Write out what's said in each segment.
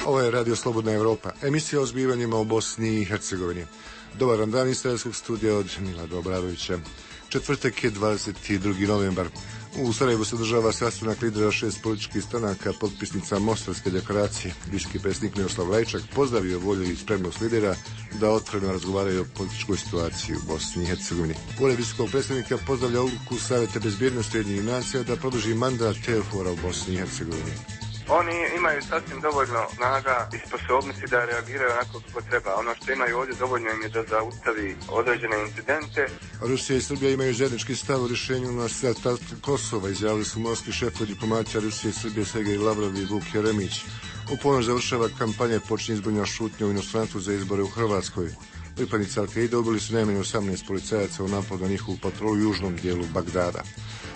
Ovo je Radio Slobodna Evropa, emisija o zbivanjima u Bosni i Hercegovini. Dobar vam dan iz Sarajevskog studija od Milada Obradovića. Četvrtak je 22. novembar. U Sarajevu se održava sastanak lidera 6 političkih stranaka, potpisnica Mostarske deklaracije. Visoki predsjednik Miroslav Lajčak pozdravio volju i spremnost lidera da otvoreno razgovaraju o političkoj situaciji u Bosni i Hercegovini. Ured visokog predsjednika pozdravlja odluku Savjeta bezbjednosti Ujedinjenih nacija da produži mandat EUFOR-a u Bosni i Hercegovini. Oni imaju sasvim dovoljno snaga i sposobnosti da reagiraju onako kako treba. Ono što imaju ovdje dovoljno im je da zaustavi određene incidente. Rusija i Srbija imaju zajednički stav o rješenju na status Kosova, izjavili su morski šefovi diplomacija Rusije i Srbije Sergej Lavrov i Vuk Jeremić. U ponoć završava kampanja, počinje izborna šutnja u inostranstvu za izbore u Hrvatskoj. Pripadnici Al-Qaide ubili su najmanje 18 policajaca u napadu na njihovu patrolu u južnom dijelu Bagdada.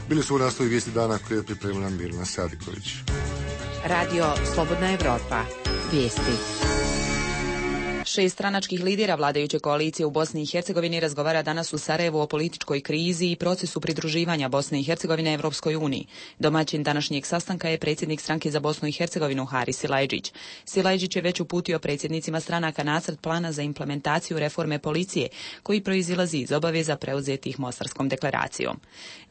Bili su u naslovi vijesti dana koje je pripremila Mirna Sadiković. Radio Slobodna Evropa. Vijesti. 6 stranačkih lidera vladajuće koalicije u Bosni i Hercegovini razgovara danas u Sarajevu o političkoj krizi i procesu pridruživanja Bosne i Hercegovine Evropskoj uniji. Domaćin današnjeg sastanka je predsjednik stranke za Bosnu i Hercegovinu Haris Silajdžić. Silajdžić je već uputio predsjednicima stranaka nacrt plana za implementaciju reforme policije, koji proizilazi iz obaveza preuzetih Mostarskom deklaracijom.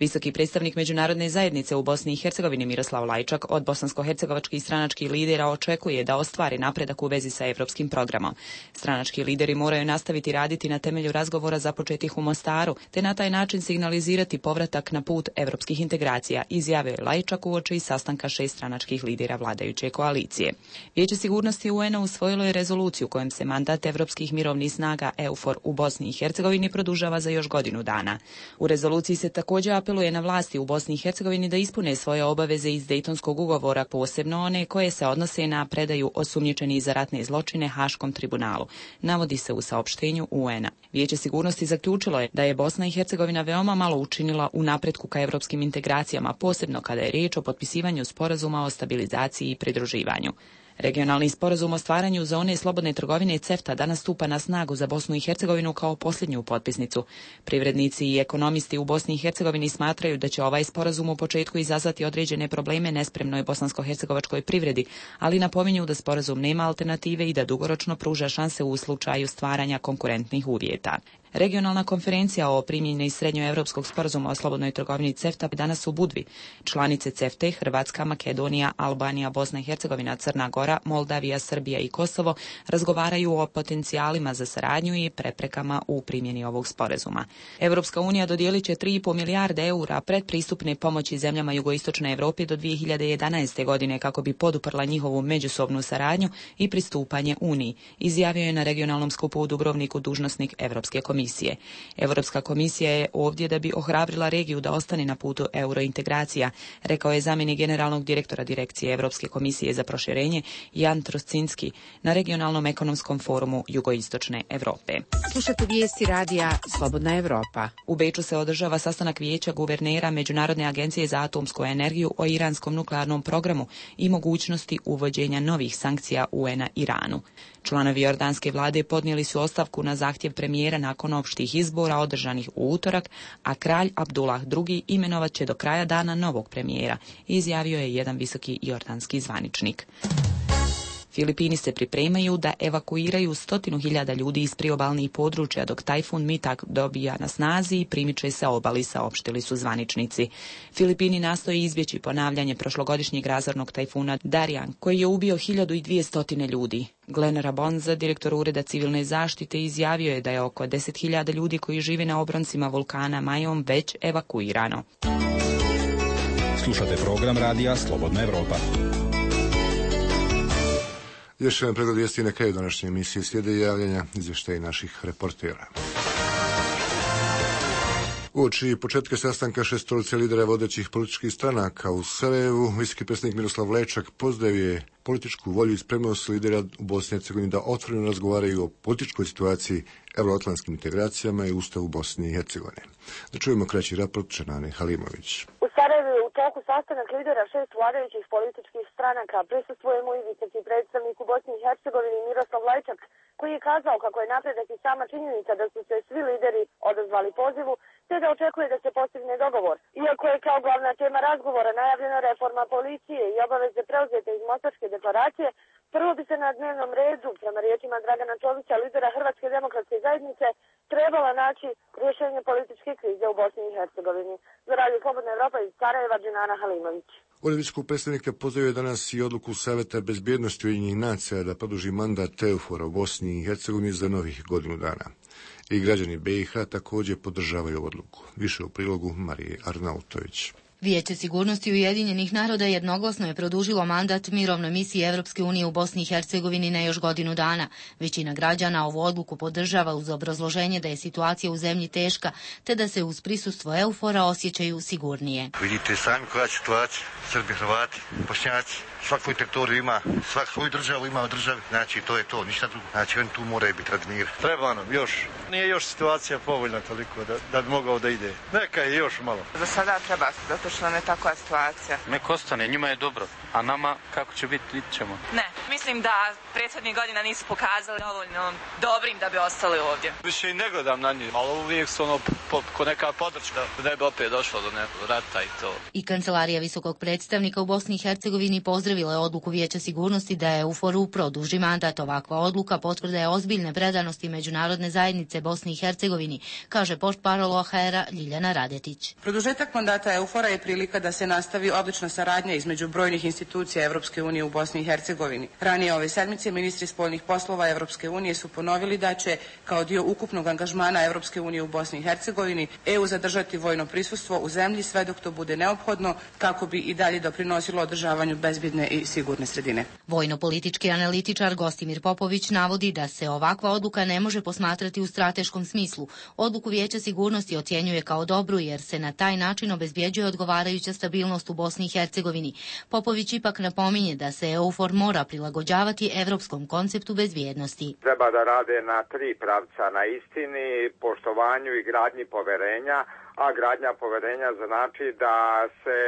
Visoki predstavnik međunarodne zajednice u Bosni i Hercegovini Miroslav Lajčak od bosansko-hercegovačkih stranačkih lidera očekuje da ostvari napredak u vezi sa evropskim programom. Stranački lideri moraju nastaviti raditi na temelju razgovora započetih u Mostaru, te na taj način signalizirati povratak na put evropskih integracija, izjavio je Lajčak uoči sastanka 6 stranačkih lidera vladajuće koalicije. Vijeće sigurnosti UN-a usvojilo je rezoluciju kojom se mandat evropskih mirovnih snaga EUFOR u Bosni i Hercegovini produžava za još godinu dana. U rezoluciji se također apeluje na vlasti u Bosni i Hercegovini da ispune svoje obaveze iz Dejtonskog ugovora, posebno one koje se odnose na predaju osumnjičenih za ratne zločine Haškom tribunalu, navodi se u saopštenju UN-a. Vijeće sigurnosti zaključilo je da je Bosna i Hercegovina veoma malo učinila u napretku ka evropskim integracijama, posebno kada je riječ o potpisivanju sporazuma o stabilizaciji i pridruživanju. Regionalni sporazum o stvaranju zone slobodne trgovine CEFTA danas stupa na snagu za Bosnu i Hercegovinu kao posljednju potpisnicu. Privrednici i ekonomisti u Bosni i Hercegovini smatraju da će ovaj sporazum u početku izazvati određene probleme nespremnoj bosansko-hercegovačkoj privredi, ali napominju da sporazum nema alternative i da dugoročno pruža šanse u slučaju stvaranja konkurentnih uvjeta. Regionalna konferencija o primjeni srednjoevropskog sporazuma o slobodnoj trgovini CEFTA danas u Budvi. Članice CEFTA, Hrvatska, Makedonija, Albanija, Bosna i Hercegovina, Crna Gora, Moldavija, Srbija i Kosovo razgovaraju o potencijalima za saradnju i preprekama u primjeni ovog sporazuma. Evropska unija dodijelit će 3,5 milijarde eura predpristupne pomoći zemljama jugoistočne Evrope do 2011. godine kako bi poduprla njihovu međusobnu saradnju i pristupanje Uniji, izjavio je na regionalnom skupu u Dubrovniku dužnosnik Evropske komisije. Evropska komisija je ovdje da bi ohrabrila regiju da ostane na putu eurointegracija, rekao je zamjenik generalnog direktora Direkcije Evropske komisije za proširenje Jan Troscinski na regionalnom ekonomskom forumu jugoistočne Evrope. Slušate vijesti radija Slobodna Evropa. U Beču se održava sastanak vijeća guvernera Međunarodne agencije za atomsku energiju o iranskom nuklearnom programu i mogućnosti uvođenja novih sankcija UN-a Iranu. Članovi jordanske vlade podnijeli su ostavku na zahtjev premijera nakon opštih izbora održanih u utorak, a kralj Abdullah II imenovat će do kraja dana novog premijera, izjavio je jedan visoki jordanski zvaničnik. Filipini se pripremaju da evakuiraju 100.000 ljudi iz priobalnih područja dok tajfun Mitak dobija na snazi i primiče se obali, saopštili su zvaničnici. Filipini nastoje izbjeći ponavljanje prošlogodišnjeg razornog tajfuna Darian, koji je ubio 1200 ljudi. Glenn Rabonza, direktor Ureda civilne zaštite, izjavio je da je oko 10.000 ljudi koji žive na obroncima vulkana Majom već evakuirano. Slušate program radija Slobodna Evropa. Još jedan pregled vijesti na kraju današnje emisije, slijede javljanja izvještaja naših reportera. Uoči početka sastanka šestorice lidera vodećih političkih stranaka u Sarajevu, visoki predsjednik Miroslav Lajčak pozdravio je političku volju i spremnost lidera u Bosni i Hercegovini da otvoreno razgovaraju o političkoj situaciji, euroatlantskim integracijama i Ustavu Bosne i Hercegovine. Da čujemo kraći raport Čenane Halimović. U Sarajevu je u toku sastanak lidera 6 vladajućih političkih stranaka. Prisustvuje mu i visoki predstavnik u Bosni i Hercegovini Miroslav Lajčak, koji je kazao kako je napredak i sama činjenica da su se svi lideri odazvali pozivu, te da očekuje da se postigne dogovor. Iako je kao glavna tema razgovora najavljena reforma policije i obaveze preuzete iz Mostarske deklaracije, prvo bi se na dnevnom redu, prema riječima Dragana Čovića, lidera Hrvatske demokratske zajednice, trebala naći rješenje političke krize u Bosni i Hercegovini. Za Radio Slobodna Evropa iz Sarajeva, Džinana Halimović. Ured visokog predstavnika pozdravio danas i odluku Saveta bezbjednosti Ujedinjenih nacija da produži mandat EUFOR u Bosni i Hercegovini za novih godinu dana. I građani BiH također podržavaju odluku. Više u prilogu Marije Arnautović. Vijeće sigurnosti Ujedinjenih naroda jednoglasno je produžilo mandat mirovnoj misiji Evropske unije u Bosni i Hercegovini na još godinu dana. Većina građana ovu odluku podržava uz obrazloženje da je situacija u zemlji teška, te da se uz prisustvo EUFOR-a osjećaju sigurnije. Vidite sami koja je situacija. Srbi, Hrvati, Bošnjaci, svak svoju teritoriju ima, svak svoju državu ima u državi. Znači to je to, ništa drugo. Znači oni tu moraju biti radi mira. Treba nam još. Nije još situacija povoljna toliko da bi mogao da ide. Neka je još malo. Za sada treba, zato što nam je takva situacija. Nek ostane, njima je dobro, a nama kako će biti, vidit ćemo. Ne, mislim da prethodnih godina nisu pokazali dovoljno dobrim da bi ostali ovdje. Više i ne gledam na njih, ali uvijek su ko neka podrška da ne bi opet došlo do nekog rata i to. I Kancelarija visokog predstavnika u Bosni i Hercegovini pozdravila je odluku Vijeća sigurnosti da je EUFOR-u produži mandat. Ovakva odluka potvrda je ozbiljne predanosti međunarodne zajednice Bosni i Hercegovini, kaže portparol OHR-a Ljiljana Radetić. Produžetak mandata EUFOR-a je prilika da se nastavi odlična saradnja između brojnih institucija Evropske unije u Bosni i Hercegovini. Ranije ove sedmice ministri spoljnih poslova Evropske unije su ponovili da će, kao dio ukupnog angažmana Evropske unije u Bosni i Hercegovini, EU zadržati vojno prisustvo u zemlji sve dok to bude neophodno kako bi i dalje doprinosilo održavanju bezbjedne i sigurne sredine. Vojno-politički analitičar Gostimir Popović navodi da se ovakva odluka ne može posmatrati u strateškom smislu. Odluku Vijeća sigurnosti ocjenjuje kao dobru jer se na taj način obezbjeđuje odgovarajuća stabilnost u Bosni i Hercegovini. Popović ipak napominje da se EUFOR mora prilagođavati evropskom konceptu bezbjednosti. Treba da rade na tri pravca, na istini, poštovanju i gradnji poverenja, a gradnja poverenja znači da se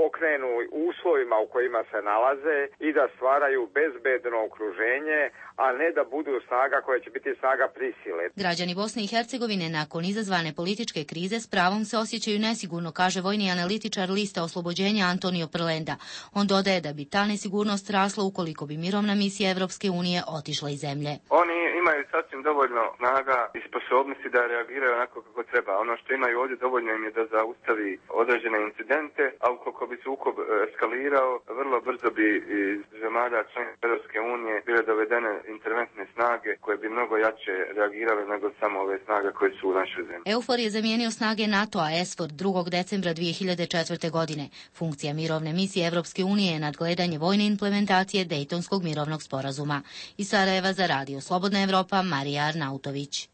okrenu uslovima u kojima se nalaze i da stvaraju bezbedno okruženje, a ne da budu snaga koja će biti snaga prisile. Građani Bosne i Hercegovine nakon izazvane političke krize s pravom se osjećaju nesigurno, kaže vojni analitičar Lista oslobođenja Antonio Prlenda. On dodaje da bi ta nesigurnost rasla ukoliko bi mirovna misija Evropske unije otišla iz zemlje. Oni imaju sasvim dovoljno snaga i sposobnosti da reagiraju onako kako treba. Ono što imaju ovdje dovoljno im je da zaustavi određene incidente, a ukoliko bi sukob eskalirao, vrlo brzo bi iz zemalja članica Evropske unije bile dovedene interventne snage koje bi mnogo jače reagirale nego samo ove snage koje su u našoj zemlji. EUFOR je zamijenio snage NATO-a SFOR 2. decembra 2004. godine. Funkcija mirovne misije Evropske unije je nadgledanje vojne implementacije Dejtonskog mirovnog sporazuma. Iz Sarajeva za Radio Slobodna Evropa, Marija Arnautović.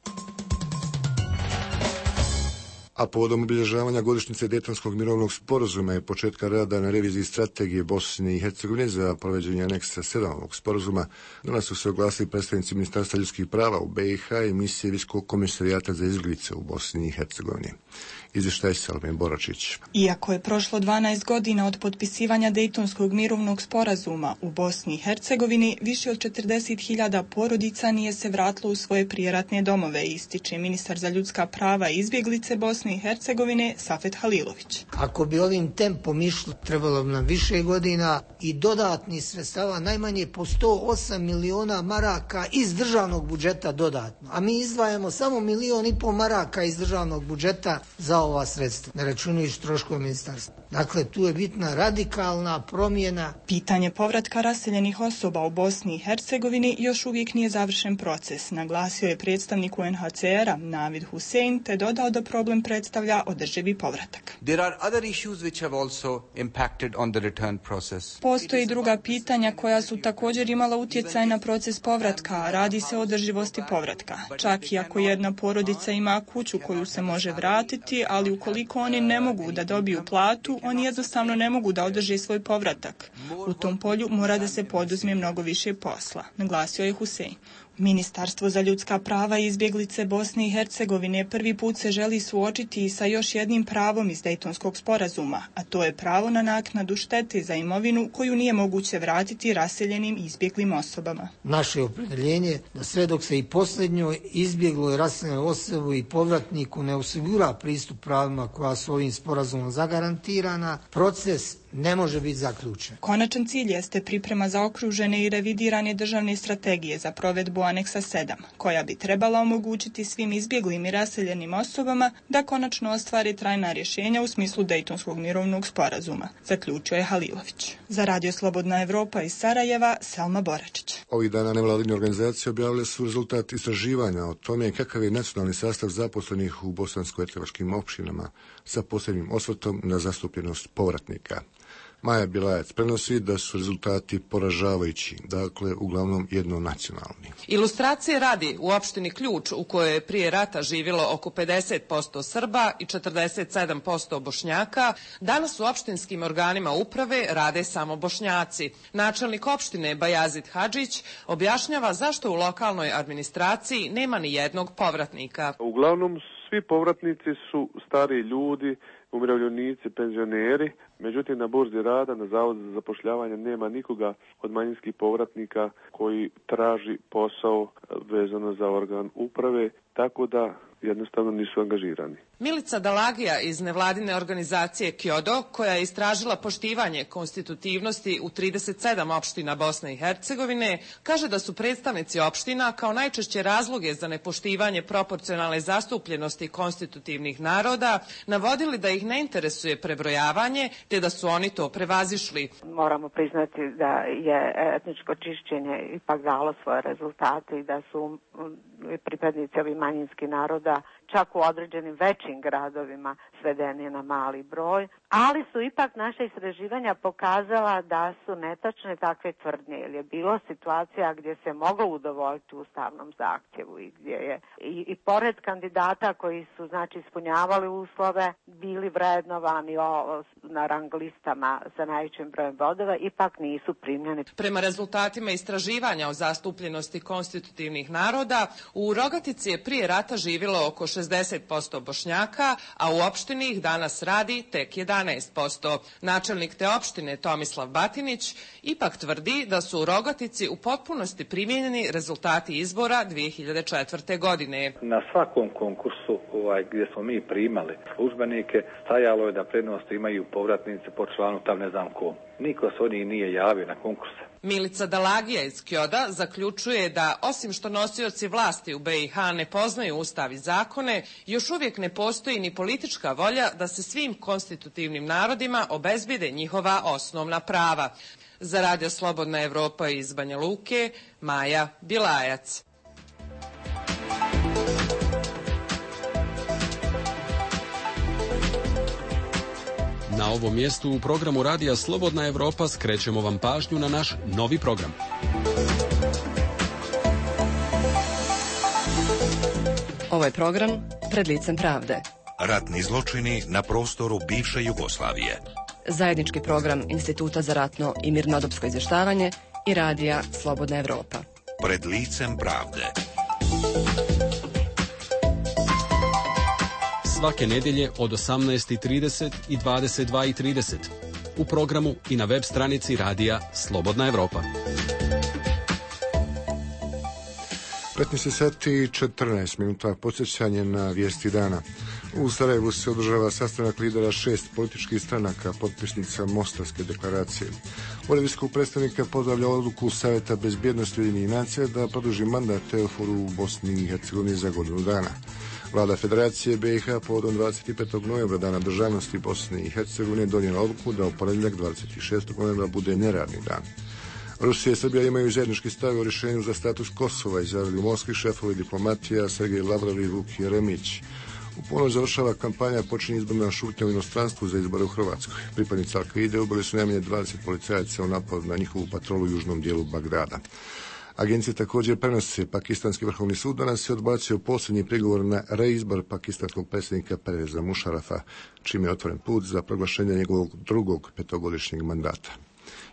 A povodom obilježavanja godišnjice Dejtonskog mirovnog sporazuma i početka rada na reviziji strategije Bosne i Hercegovine za provođenje aneksa 7 ovog sporazuma, danas su se oglasili predstavnici Ministarstva ljudskih prava u BiH i misije Visokog komisarijata za izbjeglice u Bosni i Hercegovini. Izvještaj Salme Boračić. Iako je prošlo 12 godina od potpisivanja Dejtonskog mirovnog sporazuma u Bosni i Hercegovini, više od 40.000 porodica nije se vratilo u svoje prijeratne domove, ističe ministar za ljudska prava i izbjeglice Bosne i Hercegovine Safet Halilović. Ako bi ovim tempom išlo, trebalo bi nam više godina i dodatni sredstava, najmanje po 108 miliona maraka iz državnog budžeta dodatno. A mi izdvajamo samo 1,5 miliona maraka iz državnog budžeta za ova sredstva, ne računajući troškove ministarstva. Dakle, tu je bitna radikalna promjena. Pitanje povratka raseljenih osoba u Bosni i Hercegovini još uvijek nije završen proces, naglasio je predstavnik UNHCR-a Navid Hussein, te dodao da problem predstavlja održivi povratak. Postoji druga pitanja koja su također imala utjecaj na proces povratka, radi se o održivosti povratka. Čak i ako jedna porodica ima kuću koju se može vratiti, ali ukoliko oni ne mogu da dobiju platu, oni jednostavno ne mogu da održe svoj povratak. U tom polju mora da se poduzme mnogo više posla, naglasio je Husein. U Ministarstvo za ljudska prava i izbjeglice Bosne i Hercegovine prvi put se želi suočiti sa još jednim pravom iz Dejtonskog sporazuma, a to je pravo na naknadu štete za imovinu koju nije moguće vratiti raseljenim i izbjeglim osobama. Naše opredjeljenje da sve dok se i posljednjoj izbjegloj raseljenoj osobi i povratniku ne osigura pristup pravima koja su ovim sporazumom zagarantirana, proces ne može biti zaključen. Konačan cilj jeste priprema zaokružene i revidirane državne strategije za provedbu aneksa 7, koja bi trebala omogućiti svim izbjeglim i raseljenim osobama da konačno ostvare trajna rješenja u smislu Dejtonskog mirovnog sporazuma, zaključio je Halilović. Za Radio Slobodna Evropa iz Sarajeva, Selma Boračić. Ovih dana nevladine organizacije objavile su rezultat istraživanja o tome kakav je nacionalni sastav zaposlenih u bosansko-hercegovačkim općinama sa posebnim osvrtom na zastupljenost povratnika. Maja Bilajac prenosi da su rezultati poražavajući, dakle uglavnom jednonacionalni. Ilustracije radi, u opštini Ključ, u kojoj je prije rata živjelo oko 50% Srba i 47% Bošnjaka, danas u opštinskim organima uprave rade samo Bošnjaci. Načelnik opštine Bajazid Hadžić objašnjava zašto u lokalnoj administraciji nema ni jednog povratnika. Uglavnom svi povratnici su stari ljudi, umirovljenici, penzioneri, međutim na burzi rada, na Zavodu za zapošljavanje nema nikoga od manjinskih povratnika koji traži posao vezano za organ uprave, tako da jednostavno nisu angažirani. Milica Dalagija iz nevladine organizacije Kjodo, koja je istražila poštivanje konstitutivnosti u 37 opština Bosne i Hercegovine, kaže da su predstavnici opština kao najčešće razloge za nepoštivanje proporcionalne zastupljenosti konstitutivnih naroda navodili da ih ne interesuje prebrojavanje, te da su oni to prevazišli. Moramo priznati da je etničko čišćenje ipak dalo svoje rezultate i da su pripadnici ovih manjinskih naroda čak u određenim većim gradovima svedeni na mali broj, ali su ipak naša istraživanja pokazala da su netačne takve tvrdnje, jer je bilo situacija gdje se moglo udovoljiti ustavnom zahtjevu i gdje je i pored kandidata koji su ispunjavali uslove, bili vrednovani na rang listama sa najvećim brojem bodova, ipak nisu primljeni. Prema rezultatima istraživanja o zastupljenosti konstitutivnih naroda, u Rogatici je prije rata živjelo oko 60% Bošnjaka, a u opštini ih danas radi tek 11%. Načelnik te opštine Tomislav Batinić ipak tvrdi da su u Rogatici u potpunosti primijenjeni rezultati izbora 2004. godine. Na svakom konkursu gdje smo mi primali službenike, stajalo je da prednost imaju povratnici po članu tam ne znam ko. Niko se od njih nije javio na konkurse. Milica Dalagija iz Kjoda zaključuje da, osim što nosioci vlasti u BiH ne poznaju ustav i zakone, još uvijek ne postoji ni politička volja da se svim konstitutivnim narodima obezbijede njihova osnovna prava. Za Radio Slobodna Evropa iz Banja Luke, Maja Bilajac. Na ovom mjestu u programu Radija Slobodna Evropa skrećemo vam pažnju na naš novi program. Ovo je program Pred licem pravde. Ratni zločini na prostoru bivše Jugoslavije. Zajednički program Instituta za ratno i mirnodopsko izvještavanje i Radija Slobodna Evropa. Pred licem pravde. Svake nedjelje od 18:30 i 22:30 u programu i na web stranici Radija Slobodna Evropa. 15 sati i 14 minuta, podsjećanje na vijesti dana. U Sarajevu se održava sastanak lidera 6 političkih stranaka, potpisnica Mostarske deklaracije. Ured visokog predstavnika pozdravlja odluku Savjeta bezbjednosti Ujedinjenih nacija da produži mandat Teoforu u Bosni i Hercegovini za godinu dana. Vlada Federacije BiH povodom 25. novembra, dana državnosti Bosne i Hercegovine, donijela odluku da u ponedjeljak 26. novembra bude neradni dan. Rusija i Srbija imaju zajednički stav o rješenju za status Kosova, izjavili u Moskvi šefovi diplomatija Sergej Lavrov i Vuk Jeremić. U ponoć završava kampanja, počinje izborna šutnja u inostranstvu za izbore u Hrvatskoj. Pripadnici Al-Kaide ubili su najmanje 20 policajaca u napadu na njihovu patrolu u južnom dijelu Bagdada. Agencije također prenose. Pakistanski vrhovni sud danas je odbacio posljednji prigovor na reizbor pakistanskog predsjednika Perveza Mušarafa, čime je otvoren put za proglašenje njegovog drugog petogodišnjeg mandata.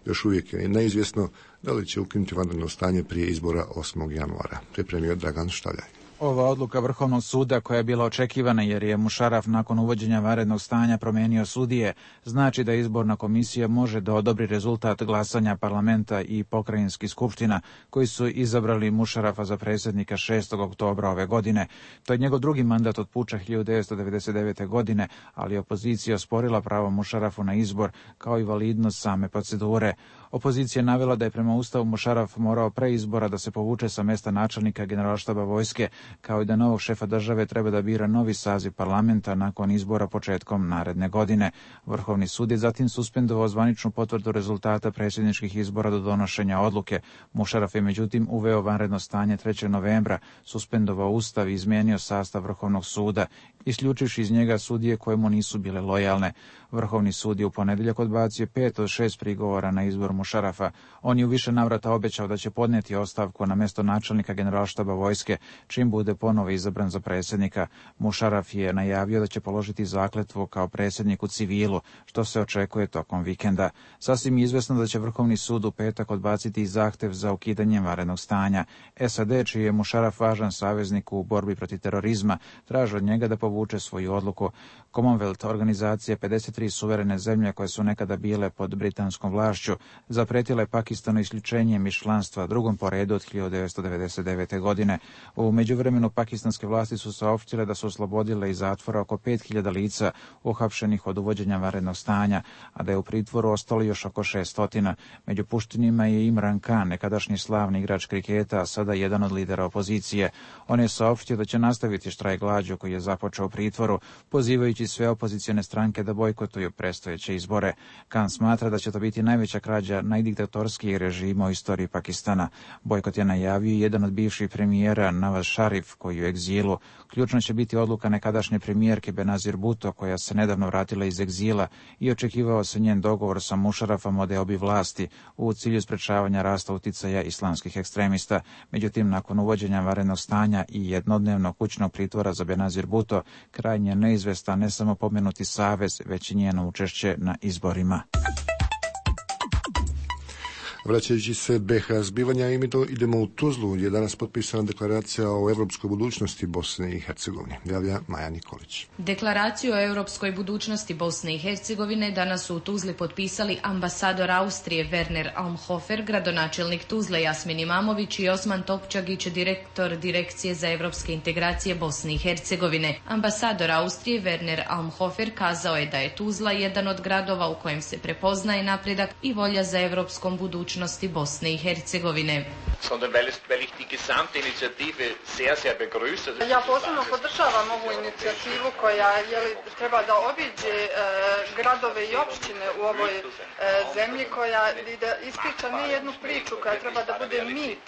Još uvijek je neizvjesno da li će ukinuti vanredno stanje prije izbora 8. januara. Pripremio Dragan Štaljaj. Ova odluka Vrhovnog suda, koja je bila očekivana jer je Mušaraf nakon uvođenja vanrednog stanja promijenio sudije, znači da izborna komisija može da odobri rezultat glasanja parlamenta i pokrajinskih skupština koji su izabrali Mušarafa za predsjednika 6. oktobra ove godine. To je njegov drugi mandat od puča 1999. godine, ali opozicija osporila pravo Mušarafu na izbor kao i validnost same procedure. Opozicija je navela da je prema Ustavu Mušaraf morao pre izbora da se povuče sa mjesta načelnika Generalštaba vojske, kao i da novog šefa države treba da bira novi saziv parlamenta nakon izbora početkom naredne godine. Vrhovni sud je zatim suspendovao zvaničnu potvrdu rezultata predsjedničkih izbora do donošenja odluke. Mušaraf je međutim uveo vanredno stanje 3. novembra, suspendovao Ustav i izmijenio sastav Vrhovnog suda, isključivši iz njega sudije koje mu nisu bile lojalne. Vrhovni sud je u ponedjeljak odbacio 5 od 6 prigovora na izbor Mušarafa. On je u više navrata obećao da će podnijeti ostavku na mjesto načelnika Generalštaba vojske, čim bude ponovo izabran za predsjednika. Mušaraf je najavio da će položiti zakletvu kao predsjednik u civilu, što se očekuje tokom vikenda. Sasvim je izvesno da će Vrhovni sud u petak odbaciti zahtjev za ukidanjem vanrednog stanja. SAD, čiji je Mušaraf važan saveznik u borbi protiv terorizma, traži od njega da povuče svoju odluku. Commonwealth, organizacija 53 suverene zemlje koje su nekada bile pod britanskom vlašću, zapretila je Pakistanu isključenjem iz članstva, drugom po redu od 1999. godine. U međuvremenu pakistanske vlasti su saopštile da su oslobodile iz zatvora oko 5000 lica uhapšenih od uvođenja vanrednog stanja, a da je u pritvoru ostalo još oko 600. Među puštenima je Imran Khan, nekadašnji slavni igrač kriketa, a sada jedan od lidera opozicije. On je saopštio da će nastaviti štrajk glađu koji je započeo u pritvoru, pozivajući sve opozicione stranke da bojkotuju predstojeće izbore. Khan smatra da će to biti najveća krađa najdiktatorskijih režima u istoriji Pakistana. Bojkot je najavio jedan od bivših premijera Nawaz Sharif, koji je u egzilu. Ključno će biti odluka nekadašnje premijerke Benazir Bhutto, koja se nedavno vratila iz egzila, i očekivao se njen dogovor sa Mušarafom o deobi vlasti u cilju sprečavanja rasta uticaja islamskih ekstremista. Međutim, nakon uvođenja vanrednog stanja i jednodnevnog kućnog pritvora za Benazir Bhutto, krajnje neizvestan ne samo pomenuti savez, već i njeno učešće na izborima. Vraćajući se BiH zbivanja, idemo u Tuzlu, gdje je danas potpisana deklaracija o europskoj budućnosti Bosne i Hercegovine. Javlja Maja Nikolić. Deklaraciju o europskoj budućnosti Bosne i Hercegovine danas su u Tuzli potpisali ambasador Austrije Werner Almhofer, gradonačelnik Tuzle Jasmin Imamović i Osman Topčagić, direktor Direkcije za europske integracije Bosne i Hercegovine. Ambasador Austrije Werner Almhofer kazao je da je Tuzla jedan od gradova u kojem se prepoznaje napredak i volja za europskom budućnosti Bosne i Hercegovine. Ja posebno podržavam ovu inicijativu koja treba da obiđe gradove i opštine u ovoj zemlji, koja da ispriča ne jednu priču koja treba da bude mit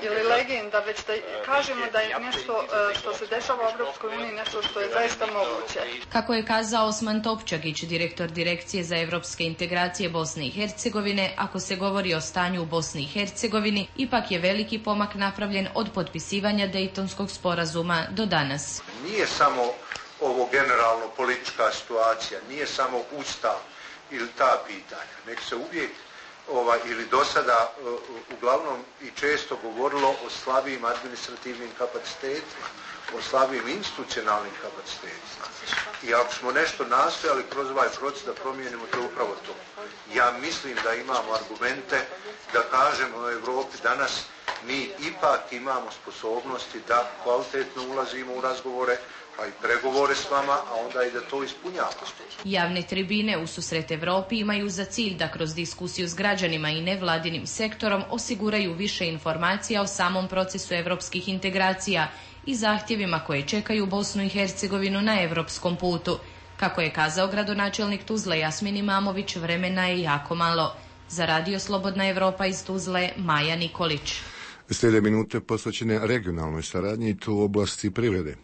ili legenda, već da kažemo da je nešto što se dešava u Evropskoj uniji nešto što je zaista moguće. Kako je kazao Osman Topčagić, direktor Direkcije za evropske integracije Bosne i Hercegovine, ako se govori o stanju u Bosni i Hercegovini, ipak je veliki pomak napravljen od potpisivanja Dejtonskog sporazuma do danas. Nije samo ovo generalno politička situacija, nije samo ustav ili ta pitanja, nek se uvijek ili do sada uglavnom i često govorilo o slabijim administrativnim kapacitetima, o slabijim institucionalnim kapacitetima. I ako smo nešto nastojali kroz ovaj proces da promijenimo, to je upravo to. Ja mislim da imamo argumente da kažemo u Europi danas mi ipak imamo sposobnosti da kvalitetno ulazimo u razgovore, pa i pregovore s vama, a onda i da to ispunjavamo. Javne tribine u susret Evropi imaju za cilj da kroz diskusiju s građanima i nevladinim sektorom osiguraju više informacija o samom procesu evropskih integracija i zahtjevima koje čekaju Bosnu i Hercegovinu na evropskom putu. Kako je kazao gradonačelnik Tuzle Jasmin Imamović, vremena je jako malo. Za Radio Slobodna Evropa iz Tuzle, Maja Nikolić. Slijede minute posvećene regionalnoj saradnji i to u oblasti privrede.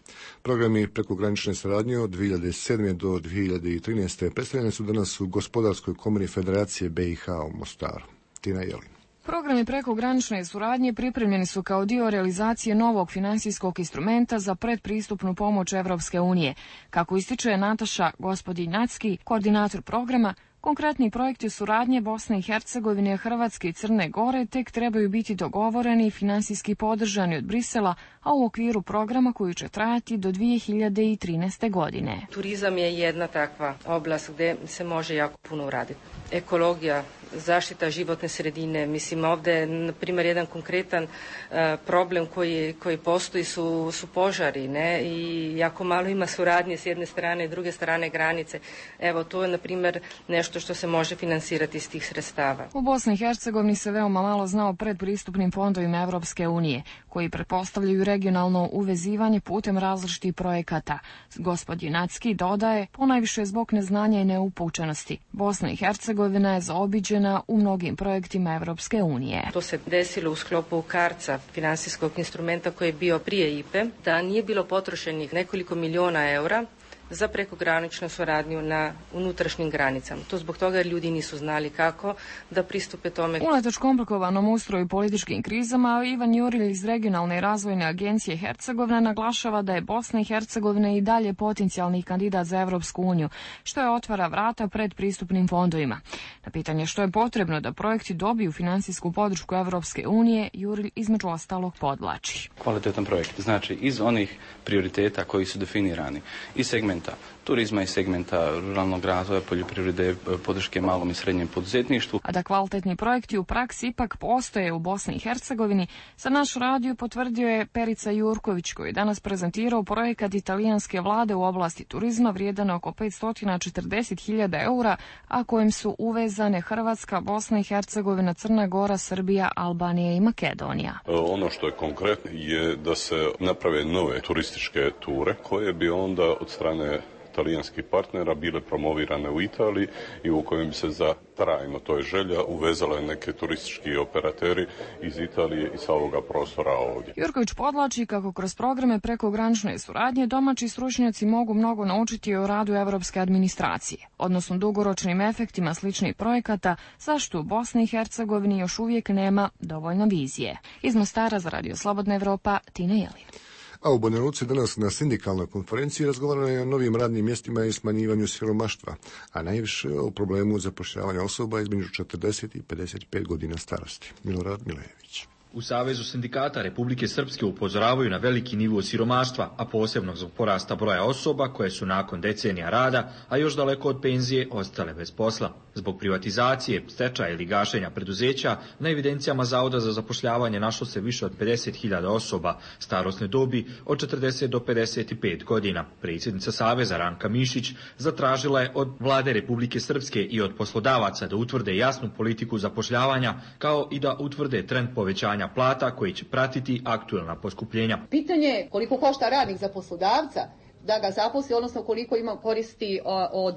Programi prekogranične saradnje od 2007. do 2013. predstavljeni su danas u Gospodarskoj komori Federacije BiH u Mostaru. Tina Jelin. Programi prekogranične suradnje pripremljeni su kao dio realizacije novog financijskog instrumenta za predpristupnu pomoć Evropske unije. Kako ističe Nataša Gospodin-Nacki, koordinator programa, Konkretni projekti suradnje Bosne i Hercegovine, Hrvatske i Crne Gore tek trebaju biti dogovoreni i finansijski podržani od Brisela, a u okviru programa koji će trajati do 2013. godine. Turizam je jedna takva oblast gdje se može jako puno uraditi. Ekologija, zaštita životne sredine, mislim ovdje na primjer jedan konkretan problem koji postoji su požari, ne, i jako malo ima suradnje s jedne strane i druge strane granice. Evo to je na primjer nešto što se može finansirati iz tih sredstava. U Bosni i Hercegovini se veoma malo zna o predpristupnim fondovima Evropske unije, koji pretpostavljaju regionalno uvezivanje putem različitih projekata. Gospodin Nacki dodaje, ponajviše zbog neznanja i neupućenosti. Bosna i Hercegovina je zaobiđena u mnogim projektima Evropske unije. To se desilo u sklopu KARC-a, finansijskog instrumenta koji je bio prije IPE, da nije bilo potrošenih nekoliko miliona eura za prekograničnu suradnju na unutrašnjim granicama. To zbog toga jer ljudi nisu znali kako da pristupe tome. Unatoč komplikovanom ustroju i političkim krizama, Ivan Jurilj iz Regionalne razvojne agencije Hercegovina naglašava da je Bosna i Hercegovina i dalje potencijalni kandidat za Evropsku uniju, što je otvara vrata pred pristupnim fondovima. Na pitanje što je potrebno da projekti dobiju finansijsku podršku Evropske unije, Jurilj između ostalog podvlači. Kvalitetan projekt, znači iz onih prioriteta koji su definirani i segmenta turizma i segmenta ruralnog razvoja, poljoprivrede, podrške malom i srednjem poduzetništvu. A da kvalitetni projekti u praksi ipak postoje u Bosni i Hercegovini, za naš radio potvrdio je Perica Jurković, koji je danas prezentirao projekat italijanske vlade u oblasti turizma vrijedan oko 540.000 eura, a kojim su uvezane Hrvatska, Bosna i Hercegovina, Crna Gora, Srbija, Albanija i Makedonija. Ono što je konkretno je da se naprave nove turističke ture koje bi onda od strane talijanskih partnera bile promovirane u Italiji i u kojem bi se za trajno, to je želja, uvezale neke turistički operateri iz Italije i sa ovoga prostora ovdje. Jurković podlači kako kroz programe prekogranične suradnje domaći stručnjaci mogu mnogo naučiti o radu evropske administracije, odnosno dugoročnim efektima sličnih projekata, zašto u Bosni i Hercegovini još uvijek nema dovoljno vizije. Iz Mostara za Radio Slobodna Evropa, Tina Jelin. A u Banja Luci danas na sindikalnoj konferenciji razgovarano je o novim radnim mjestima i smanjivanju siromaštva, a najviše o problemu zapošljavanja osoba između 40 i 55 godina starosti. Milorad Milejević. U Savezu sindikata Republike Srpske upozoravaju na veliki nivo siromaštva, a posebno zbog porasta broja osoba koje su nakon decenija rada, a još daleko od penzije, ostale bez posla. Zbog privatizacije, stečaja ili gašenja preduzeća, na evidencijama Zavoda za zapošljavanje našlo se više od 50.000 osoba starosne dobi od 40 do 55 godina. Predsjednica Saveza Ranka Mišić zatražila je od Vlade Republike Srpske i od poslodavaca da utvrde jasnu politiku zapošljavanja, kao i da utvrde trend povećanja plata koji će pratiti aktuelna poskupljenja. Pitanje je koliko košta radnik za poslodavca da ga zaposli, odnosno koliko ima koristi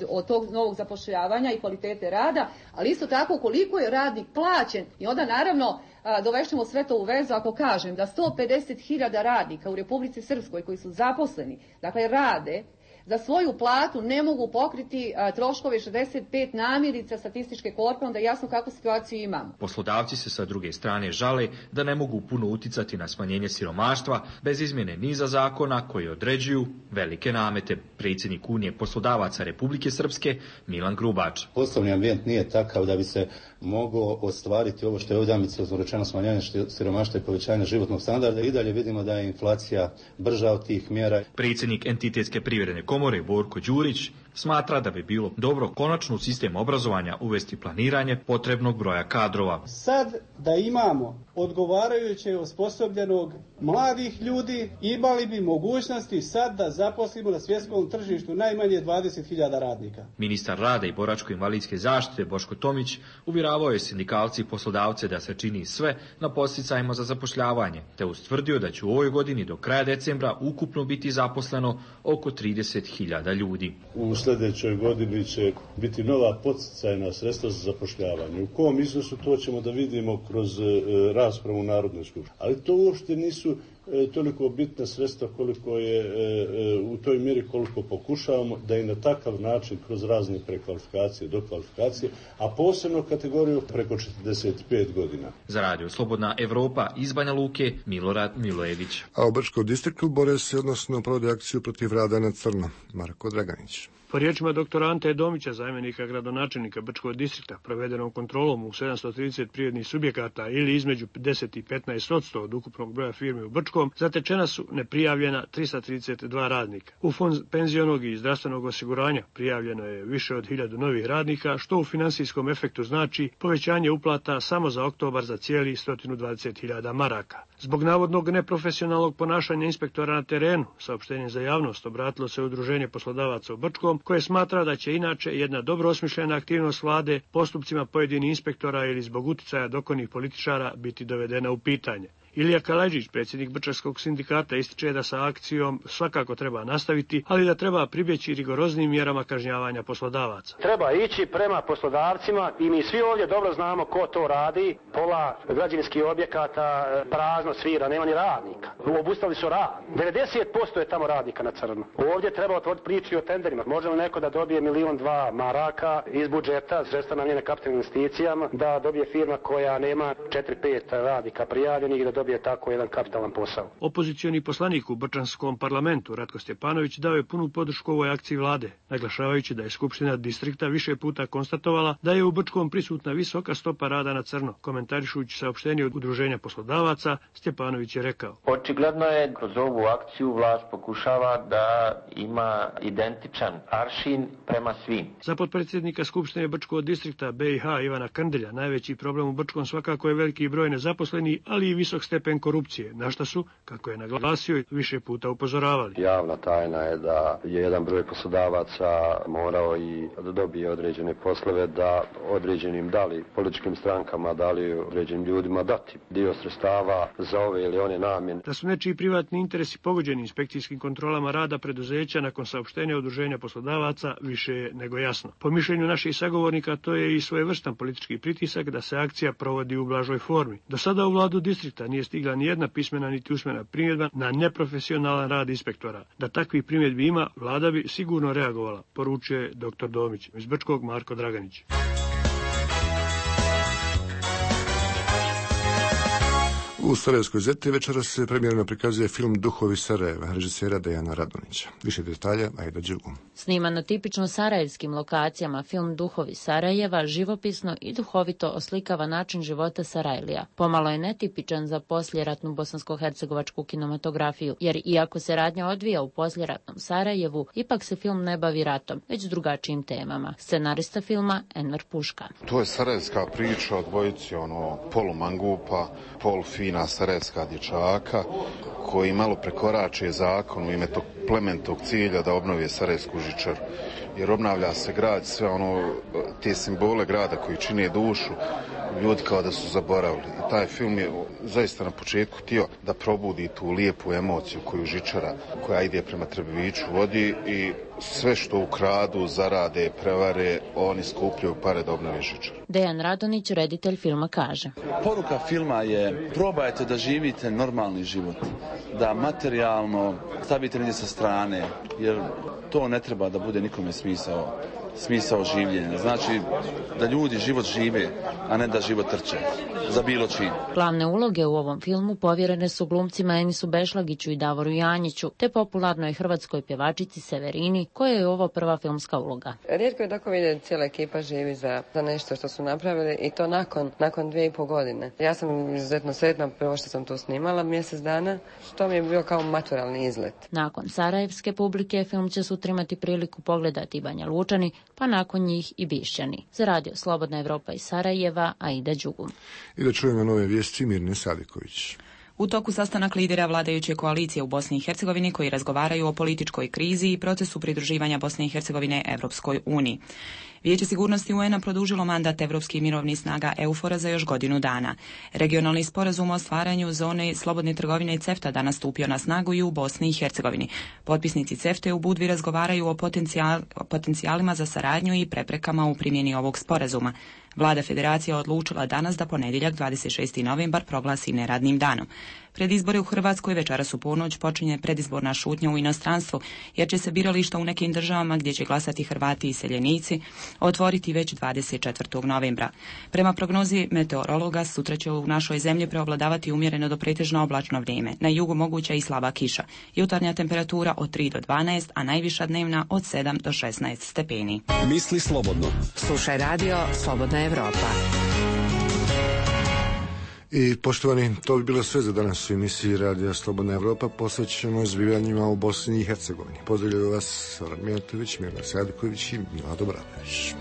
od tog novog zapošljavanja i kvalitete rada, ali isto tako koliko je radnik plaćen. I onda naravno dovešćemo sve to u vezu ako kažem da 150.000 radnika u Republici Srpskoj koji su zaposleni, dakle rade, za svoju platu ne mogu pokriti troškove 65 namirnica statističke korpe, onda jasno kakvu situaciju imamo. Poslodavci se sa druge strane žale da ne mogu puno uticati na smanjenje siromaštva bez izmjene niza zakona koji određuju velike namete. Predsjednik Unije poslodavaca Republike Srpske Milan Grubač. Poslovni ambijent nije takav da bi se moglo ostvariti ovo što je ovdje ambiciozno rečeno, smanjenje siromaštva i povećanje životnog standarda. I dalje vidimo da je inflacija brža od tih mjera. Predsjednik Entitetske privredne komore Borko Đurić smatra da bi bilo dobro konačno u sistem obrazovanja uvesti planiranje potrebnog broja kadrova. Sad da imamo odgovarajuće osposobljenog mladih ljudi, imali bi mogućnosti sad da zaposlimo na svjetskom tržištu najmanje 20.000 radnika. Ministar rada i boračko-invalidske zaštite Boško Tomić uvjeravao je sindikalci i poslodavce da se čini sve na podsticajima za zapošljavanje, te ustvrdio da će u ovoj godini do kraja decembra ukupno biti zaposleno oko 30.000 ljudi. U sljedećoj godini će biti nova podsticajna sredstva za zapošljavanje. U kom iznosu to ćemo da vidimo kroz raspravu u Narodnoj skupštini. Ali to uopšte nisu toliko bitna sredstva koliko je u toj mjeri koliko pokušavamo da i na takav način kroz razne prekvalifikacije, dokvalifikacije, a posebno kategoriju preko 45 godina. Za Radio Slobodna Evropa iz Banja Luke, Milorad Milojević. A u Brčkom distriktu bore se, odnosno provode akciju protiv rada na crno. Marko Draganić. Po riječima doktora Ante Domića, zamjenika gradonačelnika Brčkog distrikta, provedenom kontrolom u 730 privrednih subjekata ili između 10 i 15% od ukupnog broja firmi u Brčkom, zatečena su neprijavljena 332 radnika. U fond penzionog i zdravstvenog osiguranja prijavljeno je više od 1000 novih radnika, što u finansijskom efektu znači povećanje uplata samo za oktobar za cijeli 120.000 maraka. Zbog navodnog neprofesionalnog ponašanja inspektora na terenu, saopštenjem za javnost obratilo se Udruženje poslodavaca u Brčkom, koje smatra da će inače jedna dobro osmišljena aktivnost vlade postupcima pojedinih inspektora ili zbog uticaja dokonih političara biti dovedena u pitanje. Ilija Kalajđić, predsjednik Brčanskog sindikata, ističe da sa akcijom svakako treba nastaviti, ali da treba pribjeći rigoroznim mjerama kažnjavanja poslodavaca. Treba ići prema poslodavcima i mi svi ovdje dobro znamo ko to radi. Pola građevinskih objekata prazno svira, nema ni radnika. Obustavili su rad. 90% je tamo radnika na crno. Ovdje treba otvoriti priču o tenderima. Može li neko da dobije 1,2 miliona maraka iz budžeta, sredstva namjene kapitalnim investicijama, da dobije firma koja nema 4-5 radnika prijavljenih i da dobije tako jedan kapitalan posao. Opozicioni poslanik u Brčanskom parlamentu Ratko Stjepanović dao je punu podršku ovoj akciji vlade, naglašavajući da je Skupština distrikta više puta konstatovala da je u Brčkom prisutna visoka stopa rada na crno. Komentarišujući saopštenje od Udruženja poslodavaca, Stjepanović je rekao: Očigledno je kroz ovu akciju vlast pokušava da ima identičan aršin prema svim. Za potpredsjednika Skupštine Brčkog distrikta BiH Ivana Krndelja najveći problem u Brčkom svakako je veliki broj nezaposlenih, ali i visok stepen korupcije, na šta su, kako je naglasio, više puta upozoravali. Javna tajna je da je jedan broj poslodavaca morao i da dobije određene poslove, da određenim dali političkim strankama, dali određenim ljudima dati dio sredstava za ove ili one namjene. Da su nečiji privatni interesi pogođeni inspekcijskim kontrolama rada preduzeća nakon saopštenja Udruženja poslodavaca više je nego jasno. Po mišljenju naših sagovornika to je i svojevrstan politički pritisak da se akcija provodi u blažoj formi. Do sada u vladu distrikta nije stigla ni jedna pismena niti usmena primjedba na neprofesionalan rad inspektora. Da takvih primjedbi ima, vlada bi sigurno reagovala, poručuje dr. Domić. Iz Brčkog Marko Draganić. U Sarajevskoj Zeti večeras se premijerno prikazuje film Duhovi Sarajeva, režisera Dejana Radonića. Više detalja, Ajda Đugu. Sniman na tipično sarajevskim lokacijama, film Duhovi Sarajeva živopisno i duhovito oslikava način života Sarajlija. Pomalo je netipičan za poslijeratnu bosansko-hercegovačku kinematografiju, jer iako se radnja odvija u poslijeratnom Sarajevu, ipak se film ne bavi ratom, već drugačijim temama. Scenarista filma Enver Puška. To je sarajevska priča o dvojici, polumangupa, polufina sarajevska dječaka koji malo prekorače zakon u ime tog plemenitog cilja da obnovi sarajevsku žičaru. Jer obnavlja se grad, sve te simbole grada koji čine dušu, ljudi kao da su zaboravili. I taj film je zaista na početku htio da probudi tu lijepu emociju koju žičara, koja ide prema Trebeviću, vodi i sve što ukradu, zarade, prevare, oni skupljaju pare da obnovi žičaru. Dejan Radonić, reditelj filma, kaže: Poruka filma je: probajte da živite normalni život, da materijalno stavite negdje sa strane, jer to ne treba da bude nikome smisao življenja. Znači da ljudi život žive, a ne da život trče za bilo čim. Glavne uloge u ovom filmu povjerene su glumcima Enisu Bešlagiću i Davoru Janjiću, te popularnoj hrvatskoj pjevačici Severini, koja je ovo prva filmska uloga. Rijetko je tako vidjeti cijela ekipa živi za nešto što su napravili, i to nakon 2,5 godine. Ja sam izuzetno sretna prvo što sam tu snimala mjesec dana, što mi je bio kao maturalni izlet. Nakon sarajevske publike film će sutra imati priliku pogledati Banja Lučani, pa nakon njih i Bišćani. Za Radio Slobodna Evropa iz Sarajeva, Aida Đugum. I da čujemo nove vijesti Mirne Sadiković. U toku sastanak lidera vladajuće koalicije u Bosni i Hercegovini koji razgovaraju o političkoj krizi i procesu pridruživanja Bosne i Hercegovine Evropskoj uniji. Vijeće sigurnosti UN-a produžilo mandat evropskih mirovnih snaga EUFOR-a za još godinu dana. Regionalni sporazum o stvaranju zone slobodne trgovine i CEFTA danas stupio na snagu i u Bosni i Hercegovini. Potpisnici CEFTA u Budvi razgovaraju o potencijalima za saradnju i preprekama u primjeni ovog sporazuma. Vlada Federacije odlučila danas da ponedjeljak 26. novembar proglasi neradnim danom. Pred izbore u Hrvatskoj večeras u ponoć počinje predizborna šutnja u inostranstvu, jer će se birališta u nekim državama gdje će glasati Hrvati i iseljenici otvoriti već 24. novembra. Prema prognozi meteorologa, sutra će u našoj zemlji preovladavati umjereno do pretežno oblačno vrijeme. Na jugu moguća i slaba kiša. Jutarnja temperatura od 3 do 12, a najviša dnevna od 7 do 16 stepeni. Misli slobodno. Slušaj radio Slobodna Evropa. I poštovani, to bi bilo sve za danas u emisiji Radija Slobodna Evropa. Posvećujemo zbivanjima u Bosni i Hercegovini. Pozdravljaju vas Zoran Mijatović, Mirna Sadiković i Milado Bradović.